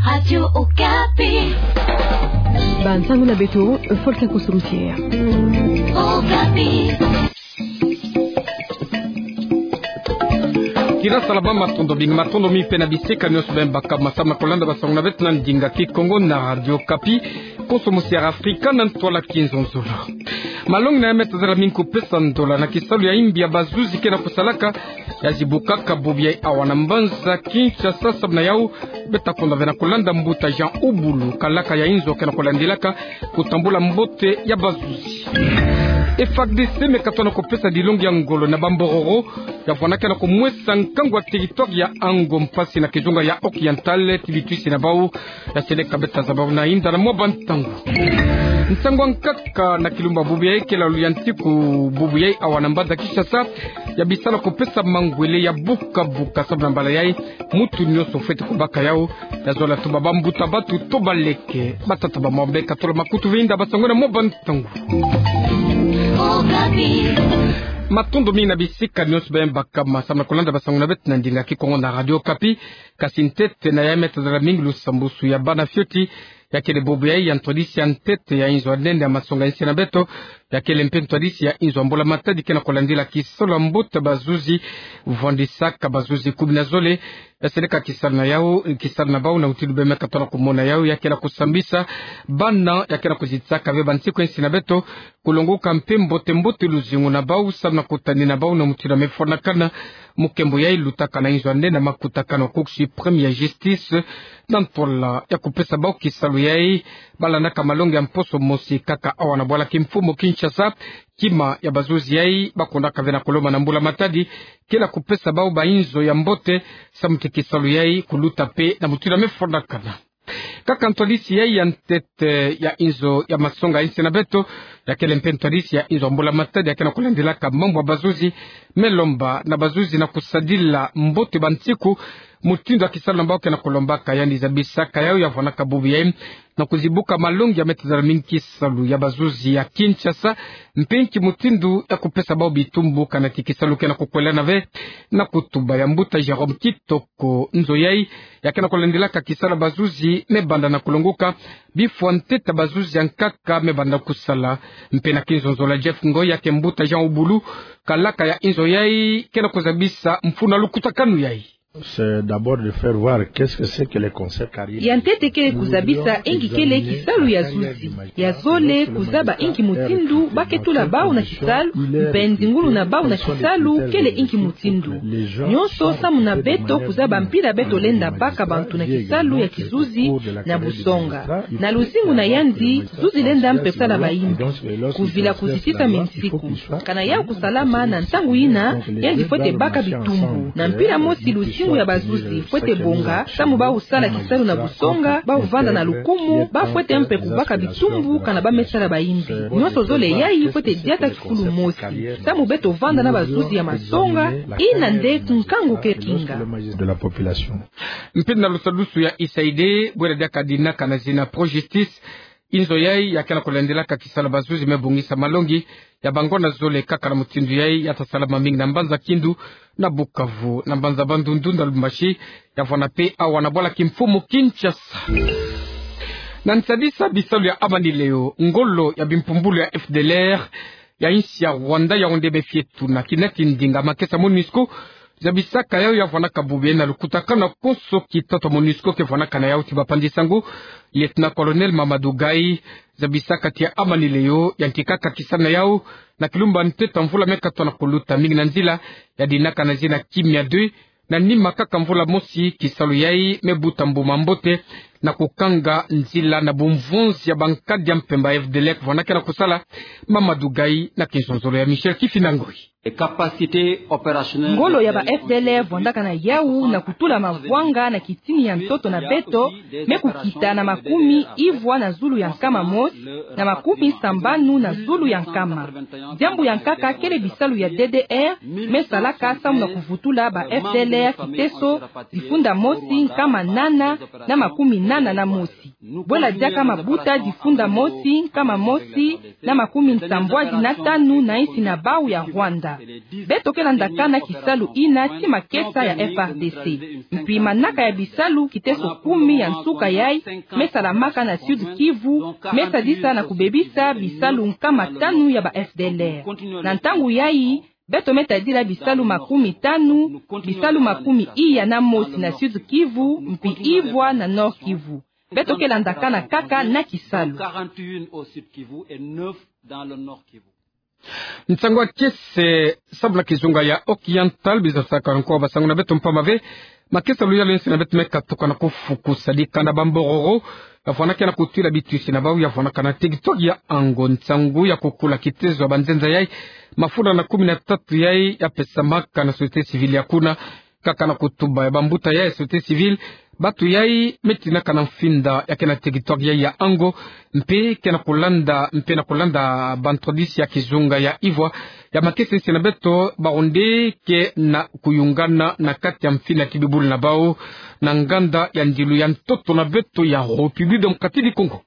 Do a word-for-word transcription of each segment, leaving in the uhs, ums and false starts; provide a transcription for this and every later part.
Radio Okapi. Bansango na beto, Volcan Koso Routier. Okapi. Kira salama, matondo mingi, matondo mingi mpe na bisika nionso beno baka masamu na kolanda bansango na beto na ndinga Kikongo na Radio Okapi. Konso mosi ya Afrika na ntwala kinzonzolo. Malongi na ya me tazala mingi kupesa ndola na kisalu ya imbi ya bazuzi ke na kusalaka, ya zibukaka bubu yai awa na mbanza Kinshasa. Samu na yau, beta konda ve na kolanda mbuta Jean Ubulu, kalaka ya inzo ke na kolandilaka kutambula mbote ya bazuzi. F A R D C me katona kupesa dilongi ya ngolo na bambororo ya vwandaka na kumwesa nkangu wa territoire ya Ango, mpasi na kizunga ya Oriental, ti bitwisi na bau ya seleka. Beta zaba bau na inda na mwa bantangu. Nsangu ya nkaka na kilumbu ya bubu yai ke lalu ya nsiku bubu yai awa na mbanza Kinshasa, ya bisala kupesa mangwele ya buka buka. Samu na mbala yai, muntu nionso fwete kubaka yau, ya zola tuba bambuta bantu to baleke, batata bamama, beno katola makutu ve inda bansangu na mwa bantangu. Matondo mingi na bisika nionso beno baka masamu na kolanda bansango na beto na ndinga Kikongo na Radio Okapi. Kasi ntete na ya me tazala mingi, lusambusu ya bana fioti ya kele bubu yai ya ntwadisi ya ntete ya inzo ya nene ya masonga insi na beto, ya kele mpe ntwadisi ya inzo ya mbula matadi ke na kolandila kisalu ya mbote bazuzi vwandisaka, bazuzi kumi na zole ya seleka kisalu na yau, kisalu na bau na mutindu beno me katona kumona yau, ya ke na kusambisa bana ya ke na kuzitisaka ve bansiku ya insi na beto, kulongoka mpe mbote mbote luzingu na bau, samu na kutanina bau na mutindu ya me fwanakana. Mukembo yai lutaka na inzo ya nene ya makutakanu ya Cour suprême ya justice, na ntwala ya kupesa bau kisalu yai, balandaka malongi ya mposo mosi kaka awa na bwala kimfumu Kinshasa, kima ya bazuzi yai bakondaka ve na kulomba na mbula matadi ke na kupesa bau bainzo ya mbote, samu ti kisalu yai kuluta mpe na mutindu ya me fwanakana. Kaka ntwadisi yai ya ntete ya inzo ya masonga insi na beto, ya kele mpe ntwadisi ya inzo ya mbula matadi ya ke na kolandilaka mambu ya bazuzi, me lomba na bazuzi na kusadila mbote bansiku mutindu ya kisalu na bau ke na kulombaka. Yandi zabisaka yau ya vwandaka bubu yai na kuzibuka malongi ya me tazala mingi kisalu ya bazuzi ya Kinshasa, mpe nki mutindu ya kupesa bau bitumbu kana ti kisalu ke na kukwelana ve. Na kutuba ya mbuta Jérôme Kitoko, nzo yai ya ke na kolandilaka kisalu ya bazuzi me banda na kulongoka, bifwa ntete ya bazuzi ya nkaka me banda kusala. Mpe na kinzonzolo ya Jeff Ngoy, ya ke mbuta Jean Ubulu, kalaka ya inzo yai, ke na kuzabisa mfunu ya lukutakanu yai. C'est d'abord de faire voir qu'est-ce que c'est que les concepts carrières. Ya ntete kele kuzabisa inki kele kisalu ya zuzi. Ya zole kuzaba inki mutindu ba ke tula bau na kisalu, mpe nzingulu na bau na kisalu kele inki mutindu. Nionso samu na beto kuzaba mpila beto lenda baka bantu na kisalu ya kizuzi na busonga. Na luzingu na yandi, zuzi lenda mpe sala bayimbi. Kuvila kuzitisa minsiku. Kana yau kusalama na ntangu yina, yandi fwete baka bitumbu. Na mpila mosi luzingu ya bazuzi fwete bonga, samu bau sala kisalu na busonga, bau vanda na lukumu, ba fwete mpe kubaka bitumbu kana ba me sala bayimbi. Nionso zole yai fwete diata kifulu mosi. Samu beto vanda na bazuzi ya masonga, yina nde nkangu ke kinga. Mpe na lusadusu ya U S A I D, bwela diaka dinaka na zina Pro-Justice, inzo yai ya ke na kulandilaka kisalu ya bazuzi me bongisa malongi ya bangonda zole kaka na mutindu yai ya ta salama mingi na mbanza Kindu, na Bukavu, na mbanza Bandundu, na Lubumbashi, ya vwanda mpe awa na bwala kimfumu Kinshasa. Na nsadisa bisalu ya amani leo, ngolo ya bimpumbulu ya F D L R ya insi ya Rwanda, yau nde me fie tuna kina ti ndinga makesa MONUSCO zabisaka yau ya vwandaka bubu yai na lukutakanu ya konso kitatu ya MONUSCO ke vwandaka na yau ti bapandi sango, Lieutenant-colonel Mamadou Gaye, zabisaka ti amani leo yantikaka kisalu na yau na kilumbu ya ntete ya mvula me katoto na kuluta, mingi na nzila ya dinaka na zina Kimia deux, na nima kaka mvula mosi kisalu yai me buta mbuma mbote na kukanga nzila na bumvonzi ya bankadi ya mpemba F D L R vwandaka na kusala. Mamadou Gaye na kinzonzolo ya Michel Kifinda Ngoyi. Ngolo ya ba F D L R vwandaka na yau na kutula mavwanga na kitini ya ntoto na beto, me kukita na makumi ivwa na zulu ya nkama mosi, na makumi sambanu na zulu ya nkama. Diambu ya nkaka kele bisalu ya D D R me salaka samu na kuvutula ba F D L R kiteso, difunda mosi, nkama nana na makumi tana na mosi. Bwela diaka mabuta difunda mosi, nkama mosi, na makumi nsambwadi na tanu na insi na bau ya Rwanda. Beto ke landaka na kisalu ina ti makesa ya F R D C. Mpi manaka ya bisalu kiteso kumi ya nsuka yai, me salamaka na Sud-Kivu, me sadisa na kubebisa bisalu nkama tanu ya ba F D L R. Na ntangu yai, beto me tadila bisalu makumi tanu, bisalu makumi iya na mosi na Sud-Kivu, mpi ivwa na Nord-Kivu. Beto ke landakana kaka na kisalu. Nsangu ya kiese, samu na kizunga ya Occidental, biza saka nko basangu na beto mpamba ve. Makesa loyalo ya nsi na beto me katuka na kufuku sadika na bambororo ya vwanakana kutwila bitwisi na bau ya vwanakana na territoire ya Ango. Nsangu ya kukula kitezo ya banzenza yai, mafunda na kumi na tatu yai ya pesamaka na société civile ya kuna. Kaka na kutuba ya bambuta yai ya société civile, batu yai me tinaka na mfinda ya ke na territoire yai ya Ango, mpe ke na kulanda, mpe na kulanda bantwadisi ya kizunga ya ivwa ya makesa ya nsi na beto, bawu nde ke na kuyungana na kati ya mfinda ya kibibulu na bau na nganda ya ndilu ya ntoto na beto ya République démocratique du Congo.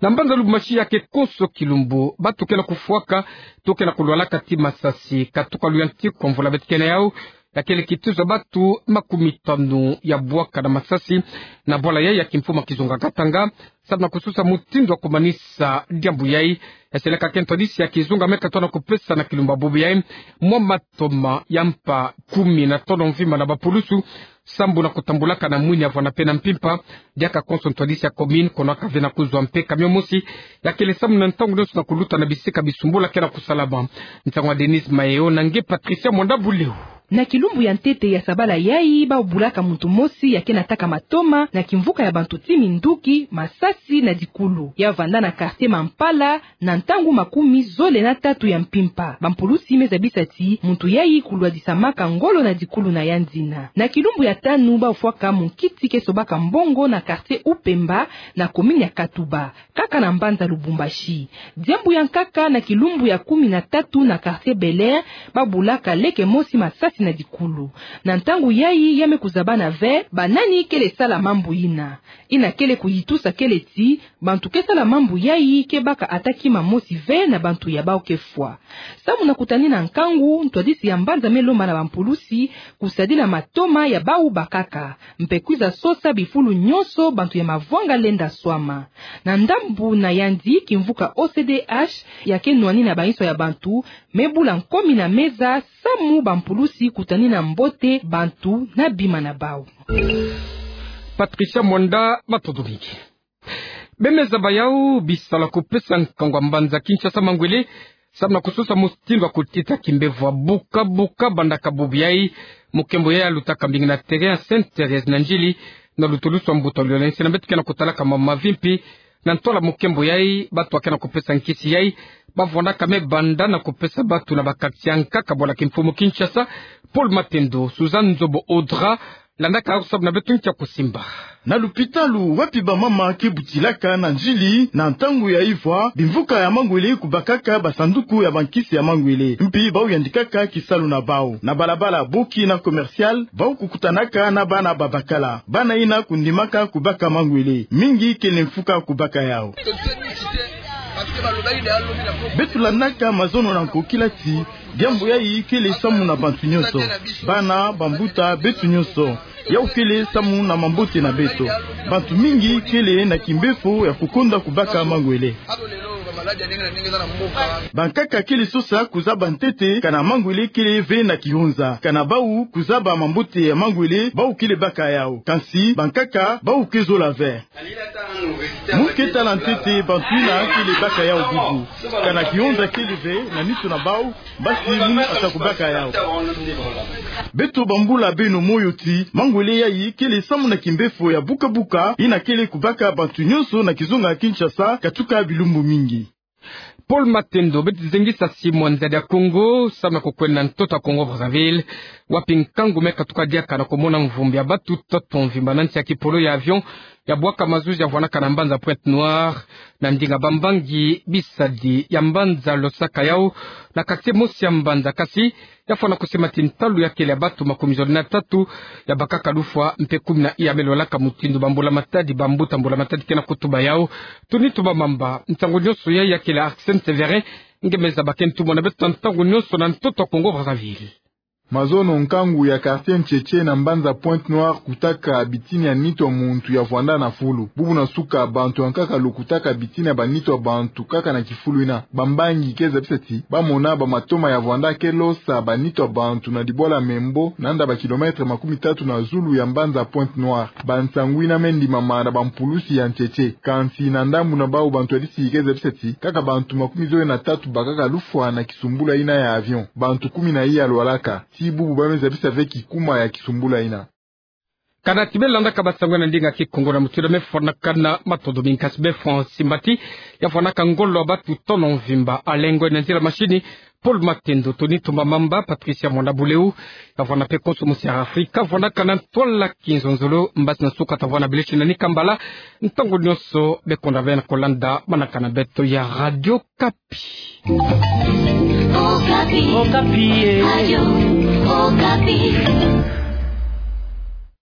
Na mbanza Lubumbashi, ya ke konso kilumbu batu ke na kufwaka to ke na kulwalaka ti masasi, katuka luyantiku mvula beto ke na yau, ya kele kituza batu makumi tanu ya bwaka na masasi na bwala yai ya kimfumu ya kizunga Katanga, samu na kusosa mutindu ya kumanisa diambu yai. Ya seleka ke ntwadisi ya kizunga me katuka na kupesa na kilumbu ya bubu yai mwa matoma ya mpa kumi na tolo mvimba na bapulusu, sambu na kutambulaka na mwini ya vwanda mpe na mpimpa. Diaka konso ntwadisi ya commune, kono aka ve na kuzwa mpe camion mosi ya kele samu na ntangu nionso na kuluta na bisika bisumbula ke na kusalama. Nsangu ya Denise Maeo na nge Patricia Mwanda Buleu. Na kilumbu ya ntete ya sabala yai, bau bulaka muntu mosi ya ke na taka matoma na kimvuka ya bantu ti minduki, masasi na dikulu. Ya vanda na quartier Mampala, na ntangu makumi zole na tatu ya mpimpa. Bampulusi me zabisa ti muntu yai kulwadisamaka ngolo na dikulu na yandi. Na kilumbu ya tanu, bau fwaka munkiti ke sobaka mbongo na quartier Upemba, na commune ya Katuba, kaka na mbanza Lubumbashi. Diambu ya nkaka, na kilumbu ya kumi na tatu na quartier Bel Air, bau bulaka leke mosi masasi na dikulu. Na ntangu yai, ya me kuzabana ve banani kele sala mambu ina. Ina kele kuyitusa kele ti bantu ke sala mambu yai ke baka ata kima mosi ve na bantu ya bau ke fwa. Samu na kutanina nkangu, ntwadisi ya mbanza me lomba na bampulusi kusadila matoma ya bau bakaka, mpe kwiza sosa bifulu nionso bantu ya mavwanga lenda swama. Na ndambu na yandi, kimvuka O C D H ya ke nwanina bainso ya bantu me bula nkomi na meza, samu bampulusi kutanina mbote bantu na bima na bau. Patricia Mwanda, matondo mingi. Bemeza bayau bisalu ya kupesa nkangu ya mbanza Kinshasa mangwele, samu na kusosa mutindu ya kutita kimbevo ya buka buka bandaka bubu yai. Mukembo yai alutaka mbingi na terrain ya Sainte Thérèse na Ndjili, na lutulusu ya mbuta loyalo ya nsi na beto ke na kutalaka mambu mavimpi. Na ntwala mukembo yai, batu ba ke na kupesa nkisi yai, bavwandaka me banda na kupesa batu na ba quartier ya nkaka bwala kimfumu Kinshasa. Paul Matendo, Suzanne Nzobo Audra, landaka samu na beto nkia kusimba. Na lupitalu wapi bamama ke butilaka na Ndjili, na ntangu ya ivwa, bimvuka ya mangwele kubakaka basanduku ya bankisi ya mangwele, mpi bau yandikaka kisalu na bau. Na balabala Boki na Commercial, bau kukutanaka na bana babakala. Bana ina kundimaka kubaka mangwele, mingi kele mfuka kubaka yau. Beto landaka mazono na nkokila ti diambu yai kele samu na bantu nionso, bana, bambuta, beto nionso. Yau kele samu na mambote na beto. Bantu mingi kele na kimbevo ya kukonda kubaka mangwele. Bankaka kele sosa kuzaba ntete kana mangwele kele ve na kihonza, kana bau kuzaba mambote ya mangwele bau kele baka yau. Kansi bankaka bau ke zola ve. Mu ke tala ntete bantu ina kele baka yau bubu. Kana kihonza kele ve na nitu na bau, basi mu ata kubaka yau. Beto bambula beno moyo ti mangwele yai kele samu na kimbevo ya buka buka ina kele kubaka bantu nionso na kizunga Kinshasa katuka bilumbu mingi. Paul Matendo. Beto zengisa Simon Nzadi ya Kongo, samu na kukwenda ntoto ya Congo Brazzaville, wapi nkangu me katuka diaka na kumona mvumbi ya batu toto mvimba na nsi ya kipolo ya avion ya bwaka mazuzi ya vwanaka na mbanza Pointe-Noire, na ndinga bambangi bisadi ya mbanza Losaka yau, na quartier mosi ya mbanza kasi, ya fwana kusemati ntalu ya kele ya batu makumi zole na tatu ya bakaka lufwa mpe kumi na iya me lwalaka, mutindu bambula matadi, bambuta mbula matadi ke na kutuba yau. Tony Tumba Mamba, ntangu nionso ya ya kele Arsène Sévérin, nge me zaba ke ntumwa na beto ntangu nionso na ntoto Kongo Brazzaville. Mazono nkangu ya quartier Ntchetche na mbanza Pointe-Noire kutaka bitini ya nitu ya muntu ya vwanda na fulu. Bubu na suka bantu ya nkaka lo kutaka bitini ya banitu ya bantu kaka na kifulu ina. Bambangi ke zabisa ti bamona bamatoma ya vwanda ke losa banitu ya bantu na dibwala Membo, nanda ba kilomètre makumi tatu na zulu ya mbanza Pointe-Noire. Bansangu ina me ndimama na bampulusi ya Ntchetche. Kansi na ndambu na bau, bantwadisi ke zabisa ti kaka bantu makumi zole na tatu bakaka lufwa na kisumbula ina ya avion. Bantu kumi na iya lwalaka. Ti bubu ba me zabisa ve kikuma ya kisumbula ina. Kana ti be landaka bansangu na ndinga Kikongo na mutindu me fwanakana, matondo mingi. Kasi be France Mbati, ya fwanaka ngolo ya batu tono mvimba. Alengwe na nzila mashini Paul Matendo, Tony Tumba Mamba, Patricia Mwanda Buleu, ya vwana mpe konso mosi ya Afrika, vwanaka na ntwala kinzonzolo. Mbasi na suka ta vwana bileshi na Nikambala. Ntangu nionso be konda ve na kolanda manaka na beto ya Radio Okapi. Okapi. Okapi, eh. Radio Okapi.